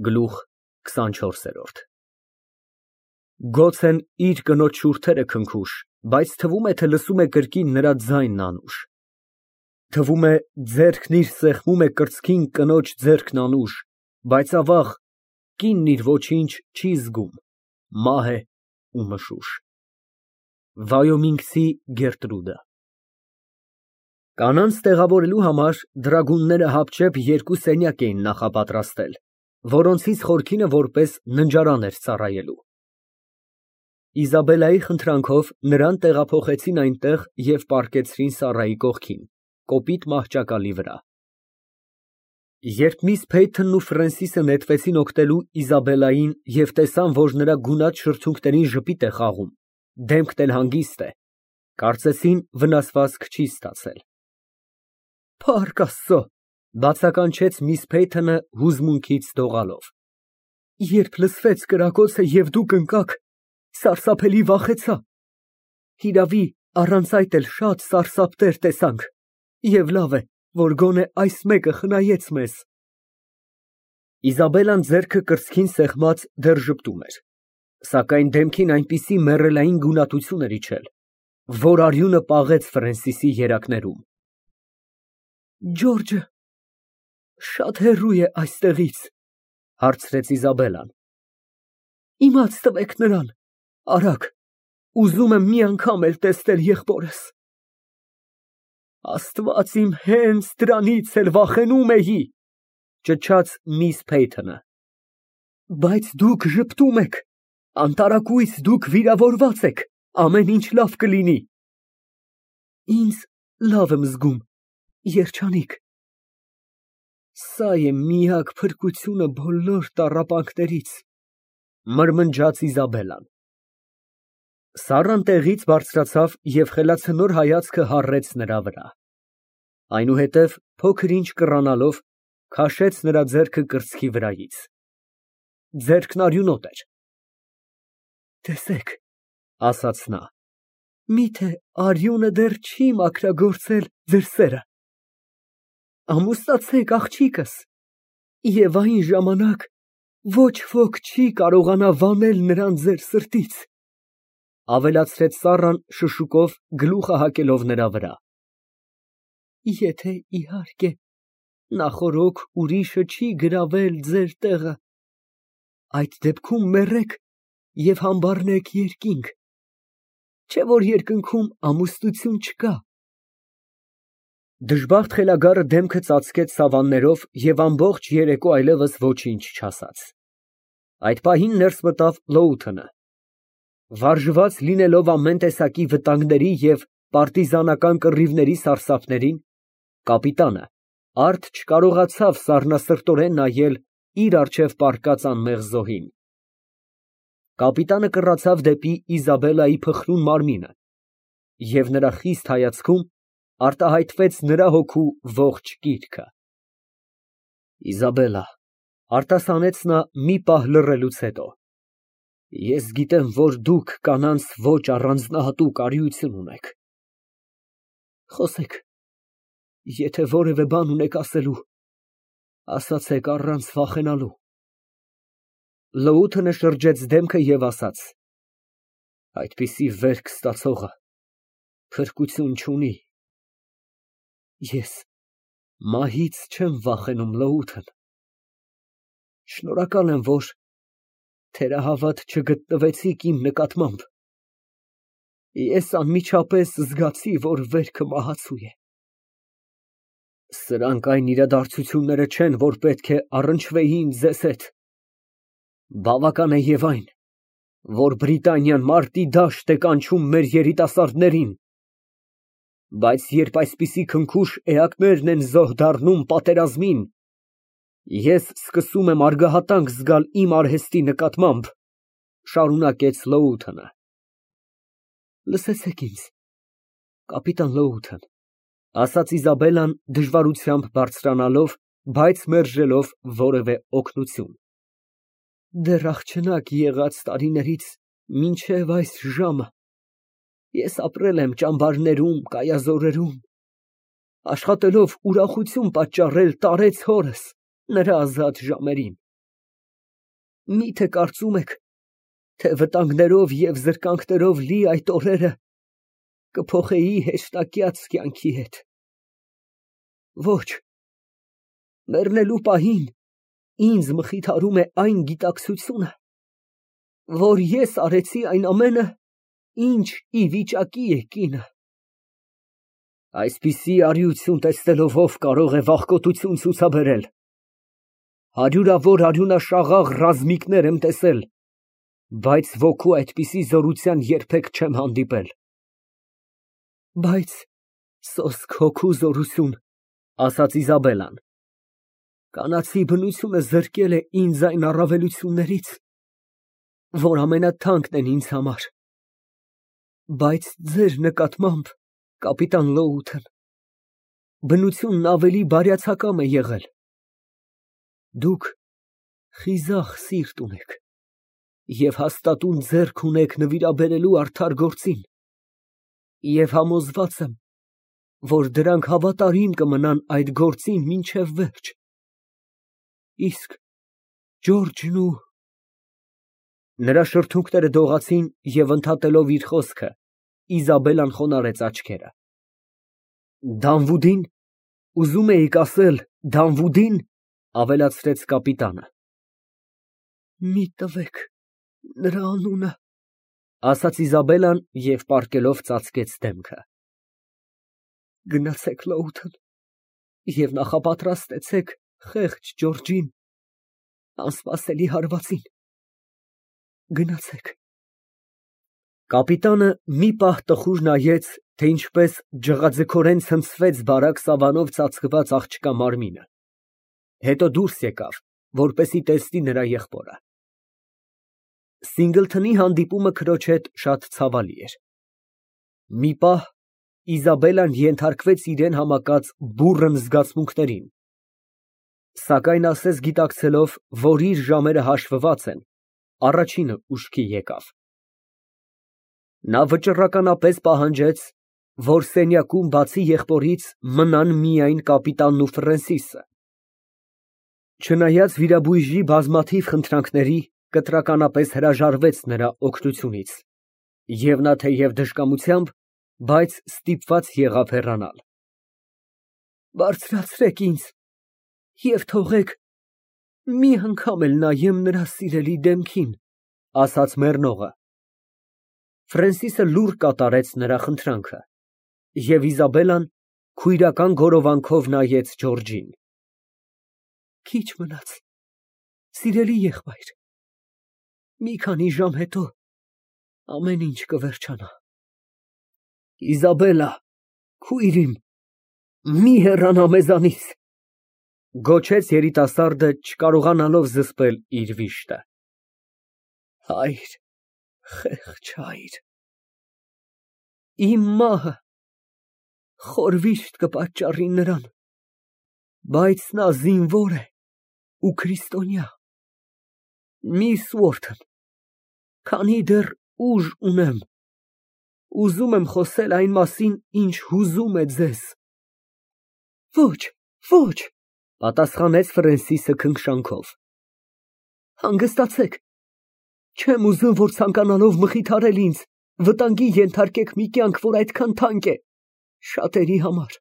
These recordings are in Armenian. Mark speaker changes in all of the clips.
Speaker 1: Գլուխ 24 Գոցեն իր կնոջ շուրթերը քնքուշ, բայց թվում է, թե լսում է կրկին նրա ձայնն անուշ։ Թվում է, ձեռքն իր սեղմում է կրծքին կնոջ ձեռքն անուշ, բայց ավաղ, կինն իր ոչինչ չի զգում, մահ է ու մշուշ։ Վայոմինգցի Գերտրուդը Կանանց տեղավորելու համար դրագունները հապճեպ երկու սենյակ էին նախապատրաստել, որոնցից խորքինը որպես ննջարան էր ծառայելու։ Իզաբելլայի խնդրանքով նրան տեղափոխեցին այնտեղ և պառկեցրին Սառայի կողքին, կոպիտ մահճակալի վրա։ Երբ միս Փեյթոնն ու Ֆրենսիսը նետվեցին օգնելու Իզաբելլային և տեսան, որ նրա գունատ շրթունքներին ժպիտ է խաղում, դեմքն էլ հանգիստ է, կարծեցին վնասվածք չի ստացել։ Փառք Աստծո, բացականչեց միս Փեյթոնը հուզմունքից դողալով։ Երբ լսվեց կրակոցը և դուք ընկաք, սարսափելի վախեցա։ Հիրավի, առանց այդ էլ շատ սարսափներ տեսանք, և լավ է, որ գոնե այս մեկը խնայեց մեզ։ Իզաբելլան ձեռքը կրծքին սեղմած դեռ ժպտում էր, սակայն դեմքին այնպիսի մեռելային գունատություն էր իջել, որ արյունը պաղեց Ֆրենսիսի երակներում։ Ջորջը շատ հեռու է այստեղից, հարցրեց Իզաբելլան։ Իմաց տվեք նրան, արագ, ուզում եմ մի անգամ էլ տեսնել եղբորս։ Աստված իմ, հենց դրանից էլ վախենում էի, ճչաց միս Փեյթոնը։ Բայց դուք ժպտում եք, անտարակույս դուք վիրավորված եք, ամեն ինչ լավ կլինի։ Ինձ լավ եմ զգում, երջանիկ։ Սա է միակ փրկությունը բոլոր տառապանքներից, մրմնջաց Իզաբելլան։ Սառան տեղից բարձրացավ և խելացնոր հայացքը հառեց նրա վրա։ Այնուհետև, փոքր ինչ կռանալով, քաշեց նրա ձեռքը կրծքի վրայից։ Ձեռքն արյունոտ էր։ Տեսեք, ասաց նա, միթե արյունը դեռ չի մաքրագործել ձեր սերը։ Ամուսնացեք, աղջիկս, և այն ժամանակ ոչ ոք չի կարողանա վանել նրան ձեր սրտից, ավելացրեց Սառան շշուկով, գլուխը հակելով նրա վրա։ Եթե, իհարկե, նախօրոք ուրիշը չի գրավել ձեր տեղը, այդ դեպքում մեռեք և համբառնեք երկինք, չէ՞ որ երկնքում ամուսնություն չկա։ Դժբախտ խելագարը դեմքը ծածկեց սավաններով և ամբողջ երեկո այլևս ոչինչ չասաց։ Այդ պահին ներս մտավ Լոութընը։ Վարժված լինելով ամեն տեսակի վտանգների և պարտիզանական կռիվների սարսափներին, կապիտանը արդ չկարողացավ սառնասրտորեն նայել իր առջև պառկած անմեղ զոհին։ Կապիտանը կռացավ դեպի Իզաբելլայի փխրուն մարմինը, և նրա խիստ հայացքում արտահայտվեց նրա հոգու ողջ կիրքը։ Իզաբելլա, արտասանեց նա մի պահ լռելուց հետո, ես գիտեմ, որ դուք կանանց ոչ առանձնահատուկ արիություն ունեք։ Խոսեք, եթե որևէ բան ունեք ասելու, ասացեք առանց վախենալու։ Լոութընը շրջեց դեմքը և ասաց. Այդպիսի վերք ստացողը փրկություն չունի։ Ես մահից չեմ վախենում, Լոութըն։ Շնորհակալ եմ, որ թերահավատ չգտնվեցիք իմ նկատմամբ։ Ես անմիջապես զգացի, որ վերքը մահացու է։ Սրանք այն իրադարձությունները չեն, որ պետք է առնչվեին ձեզ հետ։ Բավական է և այն, որ Բրիտանիան մարտի դաշտ է կանչում մեր երիտասարդներին, բայց երբ այսպիսի քնքուշ էակներն են զոհ դառնում պատերազմին, ես սկսում եմ արգահատանք զգալ իմ արհեստի նկատմամբ, շարունակեց Լոութընը։ Լսեցեք ինձ, կապիտան Լոութըն, ասաց Իզաբելլան դժվարությամբ բարձրանալով, բայց մերժելով որևէ օգնություն։ Դեռ աղջնակ եղած տարիներից մինչև այս ժամը ես ապրել եմ ճամբարներում, կայազորերում, աշխատելով ուրախություն պատճառել տարեց հորս նրա ազատ ժամերին։ Միթե կարծում եք, թե վտանգներով և զրկանքներով լի այդ օրերը կփոխեի հեշտակյաց կյանքի հետ։ Ոչ, մեռնելու պահին ինձ մխիթարում է այն գիտակցությունը, որ ես արեցի այն ամենը, ինչ ի վիճակի է կինը։ Այսպիսի արիություն տեսնելով ով կարող է վախկոտություն ցուցաբերել։ Հարյուրավոր արյունաշաղախ ռազմիկներ եմ տեսել, բայց ոգու այդպիսի զորության երբեք չեմ հանդիպել։ Բայց սոսկ հոգու զորություն, ասաց Իզաբելլան, կանացի բնությունը զրկել է ինձ այն առավելություններից, որ ամենաթանկն են ինձ համար։ Բայց ձեր նկատմամբ, կապիտան Լոութեն, բնությունն ավելի բարյացակամ է եղել։ Դուք խիզախ սիրտ ունեք և հաստատուն ձեռք ունեք նվիրաբերելու արդար գործին, և համոզված եմ, որ դրանք հավատարիմ կմնան այդ գործին մինչև վերջ։ Իսկ Ջորջն ու… Նրա շրթունքները դողացին և ընդհատելով իր խոսքը, Իզաբելլան խոնարհեց աչքերը։ Դանվուդի՞ն, ուզում էիք ասել Դանվուդի՞ն, ավելացրեց կապիտանը։ Մի տվեք նրա անունը, ասաց Իզաբելլան և պառկելով ծածկեց դեմքը։ Գնացեք Լոութեն և նախապատրաստեցեք խեղճ Ջորջին անսպասելի հարվածին։ Գնացեք։ Կապիտանը մի պահ տխուր նայեց, թե ինչպես ջղաձգորեն ցնցվեց բարակ սավանով ծածկված աղջկա մարմինը, հետո դուրս եկավ, որպեսզի տեսնի նրա եղբորը։ Սինգլթոնի հանդիպումը քրոջ հետ շատ ցավալի էր։ Մի պահ Իզաբելլան ենթարկվեց իրան համակած բուռն զգացմունքներին, սակայն ասես գիտակցելով, որ իր ժամերը հաշվված են, առաջինը ուշքի եկավ։ Նա վճռականապես պահանջեց, որ սենյակում բացի եղբորից մնան միայն կապիտանն ու Ֆրենսիսը։ Չնայած վիրաբույժի բազմաթիվ խնդրանքների, կտրականապես հրաժարվեց նրա օգնությունից, և նա թեև դժկամությամբ, բայց ստիպված եղավ հեռանալ։ Բարձրացրեք ինձ և թողեք մի անգամ էլ նայեմ նրա սիրելի դեմքին, ասաց մեռնողը։ Ֆրենսիսը լուռ կատարեց նրա խնդրանքը, և Իզաբելլան քույրական գորովանքով նայեց Ջորջին։ Քիչ մնաց, սիրելի եղբայր, մի քանի ժամ հետո ամեն ինչ կվերջանա։ Իզաբելլա, քույր իմ, մի հեռանա մեզանից, գոչեց երիտասարդը, չկարողանալով զսպել իր վիշտը։ Հայր, խեղճ հայր, իմ մահը խոր վիշտ կպատճառի նրան, բայց նա զինվոր է ու քրիստոնյա։ Միս Ուորթն, քանի դեռ ուժ ունեմ, ուզում եմ խոսել այն մասին, ինչ հուզում է ձեզ։ Ոչ, ոչ, պատասխանեց Ֆրենսիսը քնքշանքով։ Հանգստացեք, չեմ ուզում, որ ցանկանալով մխիթարել ինձ, վտանգի ենթարկեք մի կյանք, որ այդքան թանկ է շատերի համար։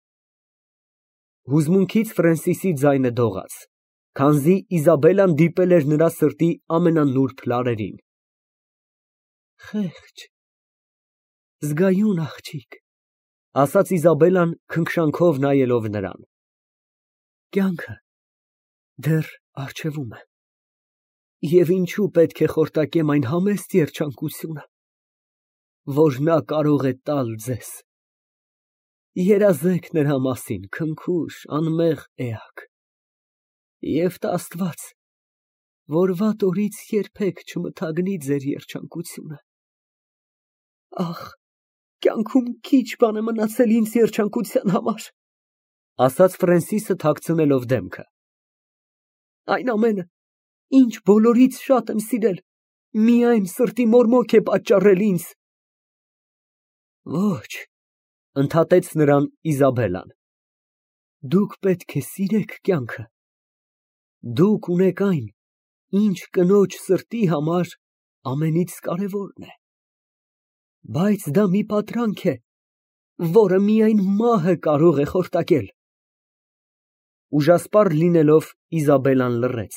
Speaker 1: Հուզմունքից Ֆրենսիսի ձայնը դողաց, քանզի Իզաբելլան դիպել էր նրա սրտի ամենանուրբ լարերին։ Խեղճ, զգայուն աղջիկ, ասաց Իզաբելլան քնքշանքով նայելով նրան։ Կյանքը դեռ առջևում է, և ինչու պետք է խորտակեմ այն համեստ երջանկությունը, որ նա կարող է տալ ձեզ։ Երազեք նրա մասին, քնքուշ, անմեղ էակ, և տա Աստված, որ վատ օրից երբեք չմթագնի ձեր երջանկությունը։ Ախ, կյանքում քիչ բան է մնացել ինձ երջանկության համար, ասաց Ֆրենսիսը թաքցնելով դեմքը։ Այն ամենը, ինչ բոլորից շատ եմ սիրել, միայն սրտի մորմոք է պատճառել ինձ։ Ոչ, ընդհատեց նրան Իզաբելլան, դուք պետք է սիրեք կյանքը, դուք ունեք այն, ինչ կնոջ սրտի համար ամենից կարևորն է։ Բայց դա մի պատրանք է, որը միայն մահը կարող է խորտակել։ Ուժասպառ լինելով Իզաբելլան լռեց,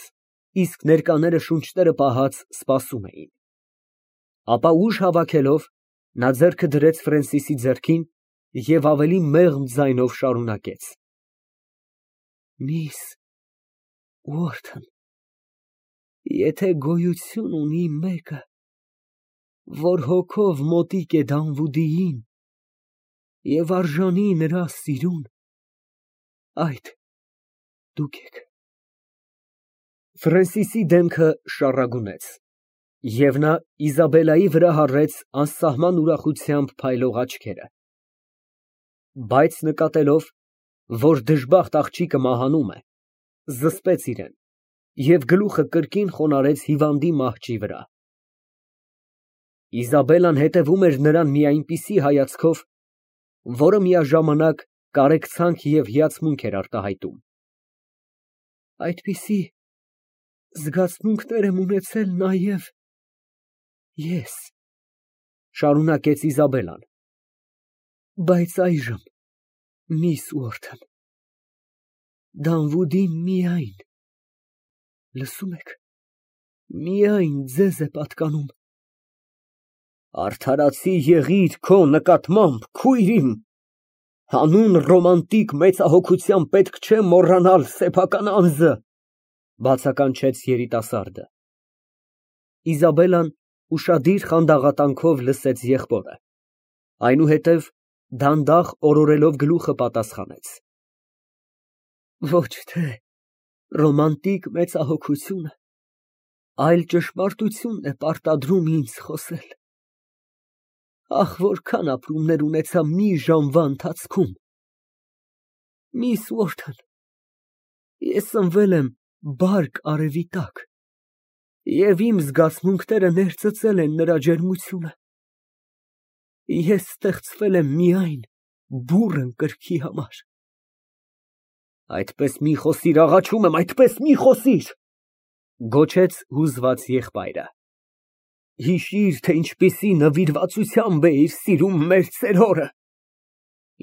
Speaker 1: իսկ ներկաները շունչները պահած սպասում էին։ Ապա ուժ հավաքելով, նա ձեռքը դրեց Ֆրենսիսի ձեռքին և ավելի մեղմ ձայնով շարունակեց. Միս Ուորթն, եթե գոյություն ունի մեկը, որ հոգով մոտիկ է Դանվուդիին և արժանի նրա սիրուն, այդ դուք եք։ Ֆրենսիսի դեմքը շառագունեց, և նա Իզաբելլայի վրա հառեց անսահման ուրախությամբ փայլող աչքերը, բայց նկատելով, որ դժբախտ աղջիկը մահանում է, զսպեց իրեն և գլուխը կրկին խոնարհեց հիվանդի մահճի վրա։ Իզաբելլան հետևում էր նրան մի այնպիսի հայացքով, որը միաժամանակ կարեկցանք և հիացմունք էր արտահայտում։ Այդպիսի զգացմունքներ եմ ունեցել նաև ես, շարունակեց Իզաբելլան, բայց այժմ, միս Ուորթն, Դանվուդին միայն, լսում եք, միայն ձեզ է պատկանում։ Արդարացի եղիր քո նկատմամբ, քույր իմ, հանուն ռոմանտիկ մեծահոգության պետք չէ մոռանալ սեփական անձը, բացականչեց երիտասարդը։ Իզաբելլան ուշադիր խանդաղատանքով լսեց եղբորը, այնուհետև դանդաղ օրորելով գլուխը պատասխանեց. Ոչ թե ռոմանտիկ մեծահոգությունը, այլ ճշմարտությունն է պարտադրում ինձ խոսել։ Ահ, որքան ապրումներ ունեցա մի ժամվա ընթացքում։ Միս Ուորթն, ես ծնվել եմ բարք արևի տակ, և իմ զգացմունքները ներծծել են նրա ջերմությունը։ Ես ստեղծվել եմ միայն բուռն կրքի համար։ Այդպես մի խոսիր, աղաչում եմ, այդպես մի խոսիր, գոչեց հուզված եղբայրը։ Հիշիր, թե ինչպիսի նվիրվածությամբ էիր սիրում մեր ծերորը,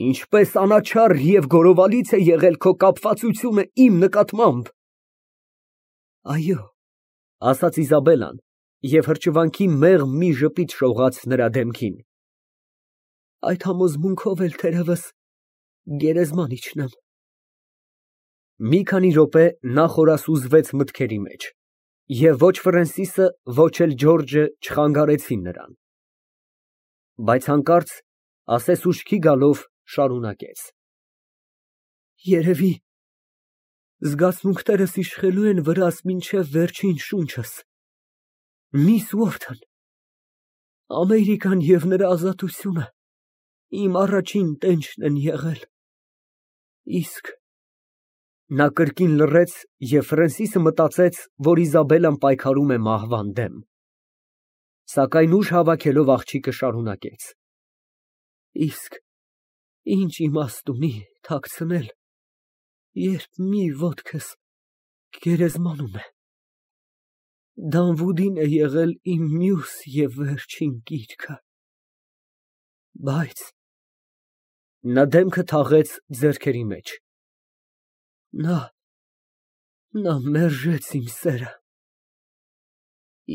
Speaker 1: ինչպես անաչառ և գորովալից է եղել քո կապվածությունը իմ նկատմամբ։ Այո, ասաց Իզաբելլան և հրճվանքի մեղմ մի ժպիտ շողաց նրա դեմքին։ Այդ համոզմունքով էլ թերևս գերեզման իջնեմ։ Մի քանի րոպե նա խորասուզվեց մտքերի մեջ, և ոչ Ֆրենսիսը, ոչ էլ Ջորջը չխանգարեցին նրան։ Բայց հանկարծ, ասես ուշքի գալով, շարունակեց. Երևի զգացմունքներս իշխելու են վրաս մինչև վերջին շունչս։ Միս Ուորթն, Ամերիկան և նրա ազատությունը իմ առաջին տենչն են եղել, իսկ… Նա կրկին լռեց, և Ֆրենսիսը մտածեց, որ Իզաբելլան պայքարում է մահվան դեմ։ Սակայն ուժ հավաքելով աղջիկը շարունակեց. Իսկ ինչ իմաստ ունի թաքցնել, երբ մի ոտքս գերեզմանում է։ Դանվուդին է եղել իմ մյուս և վերջին գիրքը, բայց… Նա դեմքը թաղեց ձեռքերի մեջ։ Նա մերժեց իմ սերը։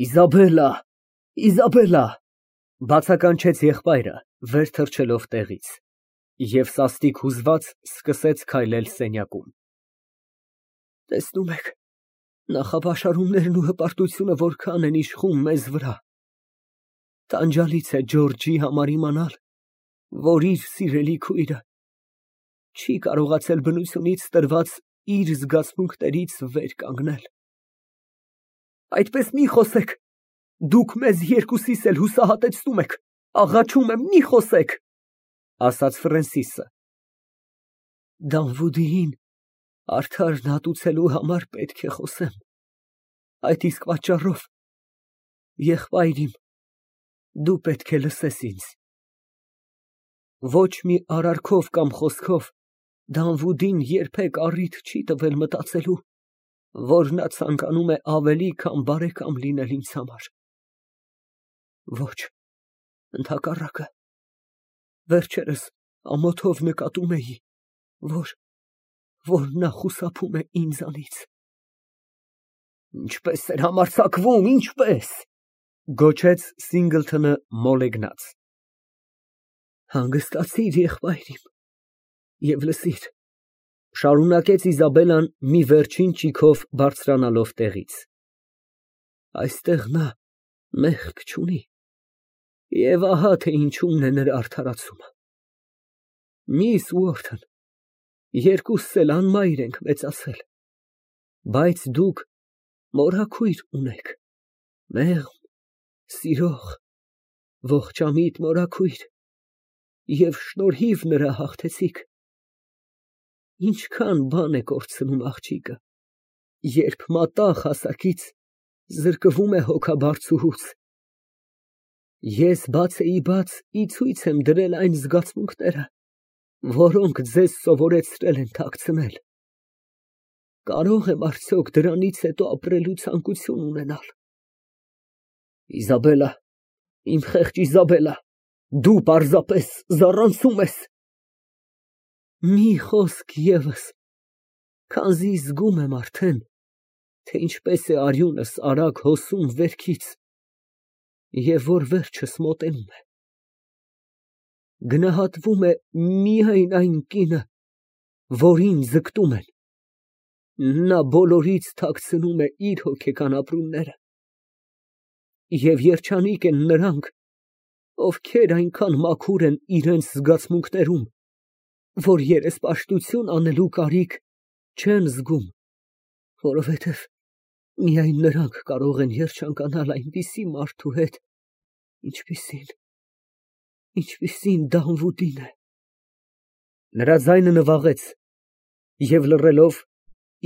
Speaker 1: Իզաբելլա, Իզաբելլա, բացականչեց եղբայրը, վեր թռչելով տեղից, և սաստիկ հուզված սկսեց քայլել սենյակում։ Տեսնում եք, նախապաշարումներն ու հպարտությունը որքան են իշխում մեզ վրա։ Տանջալից է Ջորջի համար իմանալ, որ իր սիրելի քույրը չի կարողացել բնությունից տրված իր զգացմունքներից վեր կանգնել։ Այդպես մի խոսեք, դուք մեզ երկուսիս էլ հուսահատեցնում եք, աղաչում եմ, մի խոսեք, ասաց Ֆրենսիսը։ Դանվուդիին արդարն հատուցելու համար պետք է խոսեմ, այդ իսկ պատճառով, եղբայր իմ, դու պետք է լսես ինձ։ Ոչ մի արարքով կամ խոսքով Դանվուդին երբեք առիթ չի տվել մտածելու, որ նա ցանկանում է ավելի քան բարեկամ լինել ինձ համար։ Ոչ, ընդհակառակը, վերջերս ամոթով նկատում էի, որ նա խուսափում է ինձանից։ Ինչպես էր համարձակվում, ինչպես, գոչեց Սինգլթոնը մոլեգնած։ Հանգստացիր, եղբայր իմ, և լսիր, շարունակեց Իզաբելլան մի վերջին ճիգով բարձրանալով տեղից, այստեղ նա մեղք չունի, և ահա թե ինչումն է նրա արդարացումը։ Միս Ուորթն, երկուսս էլ անմայր ենք մեծացել, բայց դուք մորաքույր ունեք, մեղմ, սիրող, ողջամիտ մորաքույր, և շնորհիվ նրա հաղթեցիք։ Ինչքան բան է կորցնում աղջիկը, երբ մատաղ հասակից զրկվում է հոգաբարձուհուց։ Ես բացեիբաց ի ցույց եմ դրել այն զգացմունքները, որոնք ձեզ սովորեցրել են թաքցնել։ Կարո՞ղ եմ արդյոք դրանից հետո ապրելու ցանկություն ունենալ։ Իզաբելլա, իմ խեղճ Իզաբելլա, դու պարզապես զառանցում ես։ Մի խոսք ևս, քանզի զգում եմ արդեն, թե ինչպես է արյունս արագ հոսում վերքից, և որ վերջս մոտենում է։ Գնահատվում է միայն այն կինը, որին ձգտում են, նա բոլորից թաքցնում է իր հոգեկան ապրումները, և երջանիկ են նրանք, ովքեր այնքան մաքուր են իրենց զգացմունքներում, որ երեսպաշտություն անելու կարիք չեն զգում, որովհետև միայն նրանք կարող են երջանկանալ այնպիսի մարդու հետ, ինչպիսին Դանվուդին է։ Նրա ձայնը նվաղեց, և լռելով,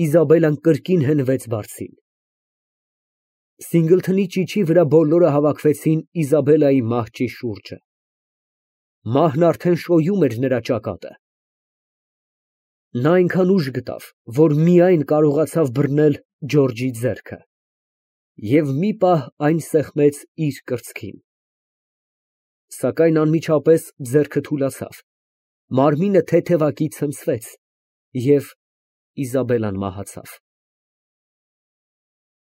Speaker 1: Իզաբելլան կրկին հենվեց բարձին։ Սինգլթոնի ճիչի վրա բոլորը հավաքվեցին Իզաբելլայի մահճի շուրջը։ Մահն արդեն շոյում էր նրա ճակատը։ Նա այնքան ուժ գտավ, որ միայն կարողացավ բռնել Ջորջի ձեռքը և մի պահ այն սեղմեց իր կրծքին։ Սակայն անմիջապես ձեռքը թուլացավ, մարմինը թեթևակի ցնցվեց, և Իզաբելլան մահացավ։